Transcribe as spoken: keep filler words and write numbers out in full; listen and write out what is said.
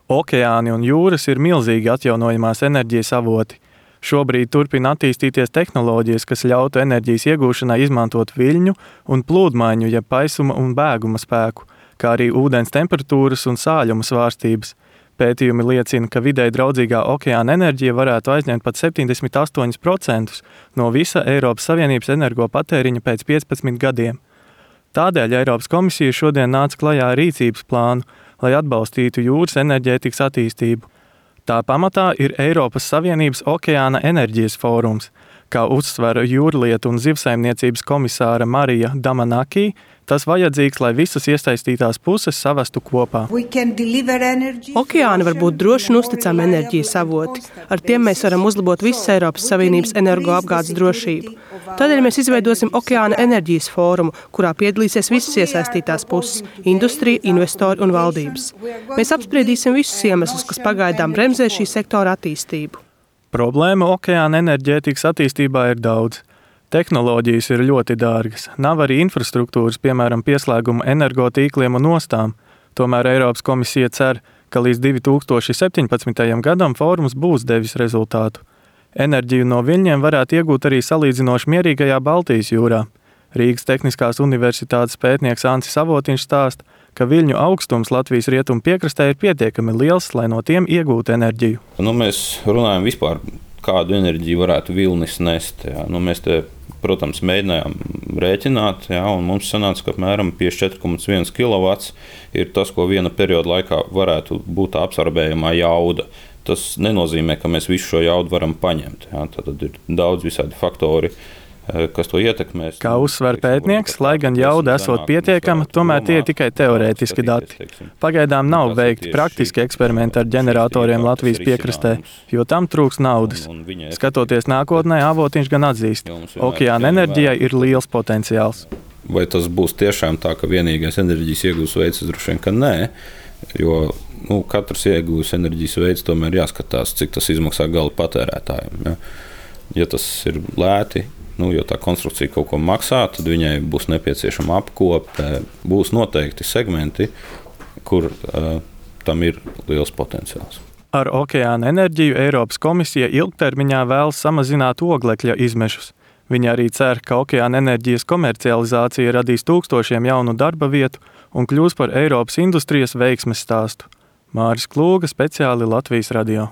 Okeāni un jūras ir milzīgi atjaunojamās enerģijas avoti. Šobrīd turpina attīstīties tehnoloģijas, kas ļautu enerģijas iegūšanai izmantot viļņu un plūdmaiņu, jeb paisuma un bēguma spēku, kā arī ūdens temperatūras un sāļuma svārstības. Pētījumi liecina, ka videi draudzīgā okeāna enerģija varētu aizņemt pat septiņdesmit astoņi procenti no visa Eiropas Savienības energopatēriņa pēc piecpadsmit gadiem. Tādēļ Eiropas komisija šodien nāca klajā ar rīcības plānu, lai atbalstītu jūras enerģētikas attīstību. Tā pamatā ir Eiropas Savienības okeāna enerģijas fórums, kā uzsver jūrlietu un zivsaimniecības komisāra Marija Damanaki. Tas vajadzīgs, lai visas iesaistītās puses savestu kopā. Okeāni var būt droši un uzticami enerģijas avoti. Ar tiem mēs varam uzlabot visas Eiropas Savienības energoapgādes drošību. Tādēļ mēs izveidosim Okeāna enerģijas fórumu, kurā piedalīsies visas iesaistītās puses – industrija, investori un valdības. Mēs apspriedīsim visus iemeslus, kas pagaidām bremzē šī sektora attīstību. Problēma okeāna enerģētikas attīstībā ir daudz. Tehnoloģijas ir ļoti dārgas, nav arī infrastruktūras, piemēram, pieslēguma energotīkliem un ostām. Tomēr Eiropas komisija cer, ka līdz divi tūkstoši septiņpadsmitajam gadam fórums būs devis rezultātu. Enerģiju no viļņiem varētu iegūt arī salīdzinoši mierīgajā Baltijas jūrā. Rīgas Tehniskās universitātes pētnieks Ancis Avotiņš stāsta, ka viļņu augstums Latvijas rietumu piekrastē ir pietiekami liels, lai no tiem iegūtu enerģiju. Nu, mēs runājam vispār, kādu enerģiju varētu vilnis nest. Jā. Nu, mēs te, protams, mēģinājām rēķināt, jā, un mums sanāca, ka apmēram piecdesmit četri komats viens kilovats ir tas, ko viena perioda laikā varētu būt absorbējamā jauda. Tas nenozīmē, ka mēs visu šo jaudu varam paņemt. Jā. Tad ir daudz visādi faktori, kas to ietekmēs. Kā uzsver pētnieks, lai gan jauda esot pietiekama, tomēr tie ir tikai teorētiski dati. Pagaidām nav veikti praktiski eksperimenti ar ģeneratoriem Latvijas piekrastē, jo tam trūks naudas. Skatoties nākotnē, Avotiņš gan atzīst, okeāna enerģijai ir liels potenciāls. Vai tas būs tiešām tā, ka vienīgais enerģijas iegūs veids, droši vien, ka nē, jo nu, katrs iegūs enerģijas veids tomēr jāskatās, cik tas izmaksā gala patērētājiem. Ja, ja tas ir lēti, nu, jo tā konstrukcija kaut ko maksā, tad viņai būs nepieciešama apkope, būs noteikti segmenti, kur uh, tam ir liels potenciāls. Ar okeāna enerģiju Eiropas komisija ilgtermiņā vēlas samazināt oglekļa izmešus. Viņa arī cer, ka okeāna enerģijas komercializācija radīs tūkstošiem jaunu darba vietu un kļūs par Eiropas industrijas veiksmes stāstu. Māris Klūga, speciāli Latvijas radio.